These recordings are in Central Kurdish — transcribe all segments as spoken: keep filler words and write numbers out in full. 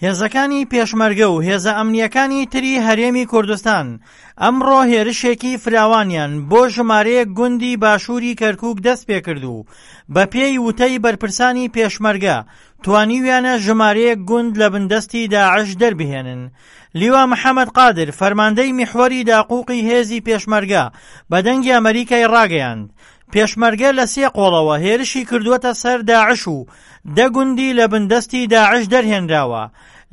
هێزەکانی پێشمەرگە و هێزە ئەمنییەکانی تری هەرێمی کوردستان ئەمڕۆ هێرشێکی فراوانیان بۆ ژمارەیەک گوندی باشووری کەرکووک دەست پێکرد و بەپێی وتەی بەرپرسانی پێشمەرگە توانیویانە ژمارەیەک گوند لە بندەستی داعش دەربهێنن. لیوا محەممەد قادر فەرماندەی میحوەری داقوقی هێزی پێشمەرگە بە دەنگی ئەمەریکای ڕاگەیاند پێشمەرگە لە سێ قۆڵەوە هێرشی کردووەتە سەر داعش و دە گوندی لە بندەستی داعش دەرهێنراوە،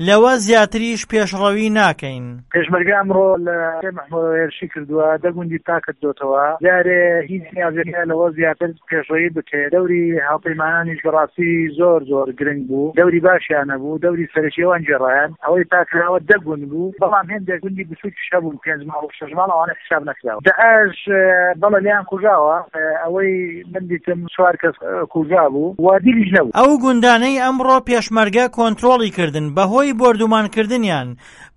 لەوە زیاتریش پێشڕەوی ناکەین. پێشمەرگە ئەمڕۆ لە سێ میحوەرەوە هێرشی کردووە، دە گوندی پاک کردۆتەوە، جارێ هیچ نیازێک نییە لەوە زیاتر پێشڕەوی بکرێت، دەوری هاوپەیمانانیش بەڕاستی زۆر زۆر گرنگ بوو، دەوری باشیان هەبوو، دەوری سەرەکی ئەوان گێڕایان، ئەوەی پاکراوە دە گوند بوو، بەڵام هێندێک گوندی بچووکیش هەبوون پێنج ماڵ و شەش ماڵ ئەوانە حیساب نەکراوە. داعش بەڵێ لێیان کوژاوە، ئەوەی من دیتم چوار کەس کوژابوو و دیلیش نەبوو. ئەو گوندانەی ئەمڕۆ پێشمەرگە کۆنترۆڵی کردن بەهۆی بۆردومانکردنیان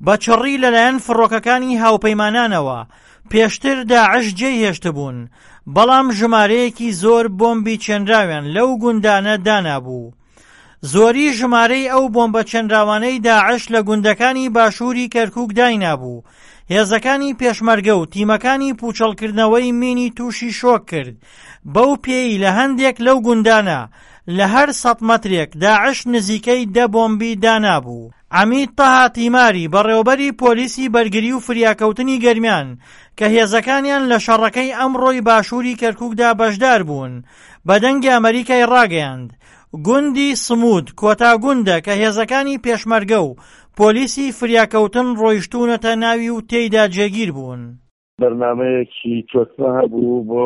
بە چڕی لەلایەن فڕۆکەکانی هاوپەیمانانەوە پێشتر داعش جێی هێشتبوون، بەڵام ژمارەیەکی زۆر بۆمبی چێنراویان لەو گوندانە دانابوو. زۆری ژمارەی ئەو بۆمبە چێنراوانەی داعش لە گوندەکانی باشووری کەرکووک داینابوو، هێزەکانی پێشمەرگە و تیمەکانی پوچەڵکردنەوەی مینی تووشی شۆک کرد، بەو پێی لە هەندێک لەو گوندانە لە هەر سەد مەترێک داعش نزیکەی دە بۆمبی دانابوو. عەمید تەها تیماری بەڕێوەبەری پۆلیسی بەرگری و فریاکەوتنی گەرمیان کە هێزەکانیان لە شەڕەکەی ئەمڕۆی باشووری کەرکووکدا بەشدار بوون بە دەنگی ئەمەریکای ڕاگەیاند گوندی سمود کۆتا گوندە کە هێزەکانی پێشمەرگە و پۆلیسی فریاکەوتن ڕۆیشتوونەتە ناوی و تێیدا جێگیر بوون. بەرنامەیەکی تۆکمە هەبوو بۆ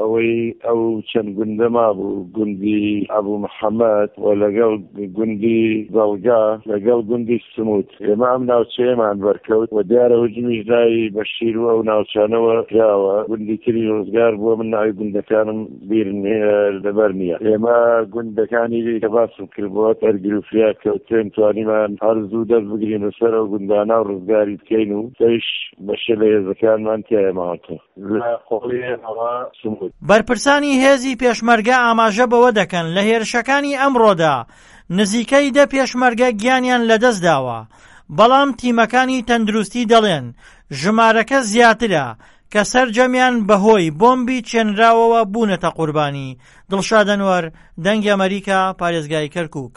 ئەوەی ئەو چەند گوندە مابوو، گوندی ئەبوو محەممەد و لەگەڵ گوندی زەڵگا لەگەڵ گوندی سموت. ئێمە ئەم ناوچەیەمان بەرکەوت و دیارە هجومیش ناوی بەشیر و ئەو ناوچانەوە کراوە، گوندی تری ڕزگار بووە، من ناوی گوندەکانم بیر لەبەر نییە. ئێمە گوندەکانی کە باسم کرد بۆ بەرگری و فریاکەوتن توانیمان هەر زوو دەست بگرین بەسەر ئەو گوندانە و ڕزگاری بکەین و سەیش بەشێ لە هێزەکانمان تیایە ماوەتەوە لە قۆڵی ئێمەوە سموت. بەرپرسانی هێزی پێشمەرگە ئاماژە بەوە دەکەن لە هێرشەکانی ئەمڕۆدا نزیکەی دە پێشمەرگە گیانیان لەدەستداوە، بەڵام تیمەکانی تەندروستی دەڵێن ژمارەکە زیاترە کە سەرجەمیان بەهۆی بۆمبی چێنراوەوە بوونەتە قوربانی. دڵشاد ئەنوەر، دەنگی ئەمەریکا، پارێزگای کەرکووک.